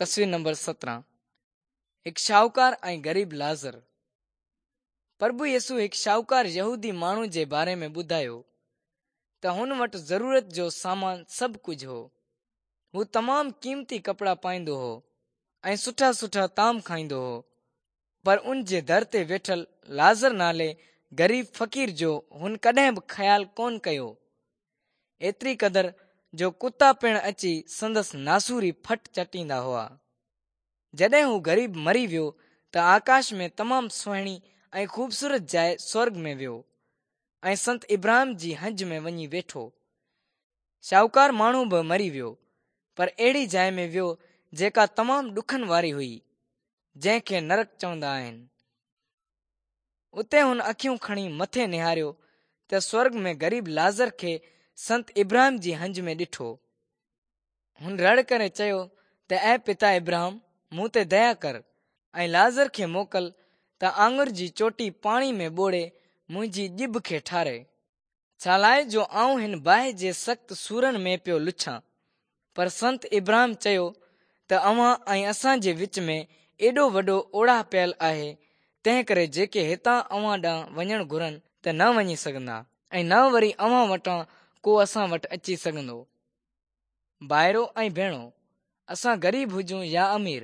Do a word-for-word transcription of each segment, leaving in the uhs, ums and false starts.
تصوير نمبر سترهن. هڪ شاهوڪار ۽ غريب لازر. پرڀو يسوع هڪ شاهوڪار يهودي ماڻهو جي باري ۾ ٻڌايو ته هن وٽ ضرورت جو سامان سڀ ڪجهه هو. هو تمام قيمتي ڪپڙا پائيندو هو ۽ سٺا سٺا طعام کائيندو هو، پر ان جي در تي ويٺل لازر نالي غريب فقير جو هن ڪڏهن به خيال ڪونه ڪيو. ايتري قدر جو ڪتا پڻ اچي سندس ناسوري ڦٽ چٽيندا هئا. جڏهن هو غريب مري ويو ته آڪاش ۾ تمام سهڻي ۽ خوبصورت جاءِ سورڳ ۾ ويو ۽ سنت ابراهيم جي هنج ۾ وڃي ويٺو. شاهوڪار ماڻهو به مري ويو، پر اهڙي جاءِ ۾ ويو جيڪا تمام ڏکن واري هئي، جنهن کي نرڪ چوندا آهن. اتي هن اکيون کڻي مٿي نهاريو ته سورڳ ۾ غريب لازر کي سنت ابراهيم جي هنج ۾ ڏٺو. هن رڙ ڪري چيو ته اي پتا ابراهيم، مون تي ديا ڪر ۽ لازر کي موڪل ته آڱر جي چوٽي پاڻي ۾ ٻوڙي منهنجي ڄڀ کي ٺاري، ڇا لاءِ جو آئون هن باهه جي سخت سورن ۾ پيو لڇان. پر سنت ابراهيم چيو ته اوهان ۽ اسان جي وچ ۾ ايڏو وڏو اوڙاهه پيل آهي، تنهن ڪري جيڪي هتان اوهان ڏانهن وڃڻ گهرن ته نه وڃي سگهندا ۽ نه وري اوهان وٽان ڪو اسان وٽ اچي سگهندو. ڀائرو ۽ ڀيڻو، اسان غريب هجون يا امير،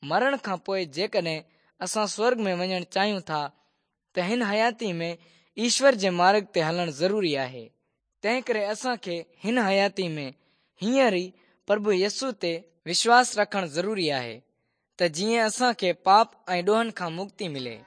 مرڻ کان پوءِ جيڪڏهن اسان سورڳ ۾ وڃڻ چاهيون ٿا ته هن حياتي ۾ ايشور جي مارگ تي هلڻ ضروري آهي. تنهن ڪري اسان کي هن حياتي ۾ هينئر ئي پرڀو يسوع تي وشواس رکڻ ضروري آهي ته جيئن اسان کي پاپ ۽ ڏوهن کان مڪتي ملي.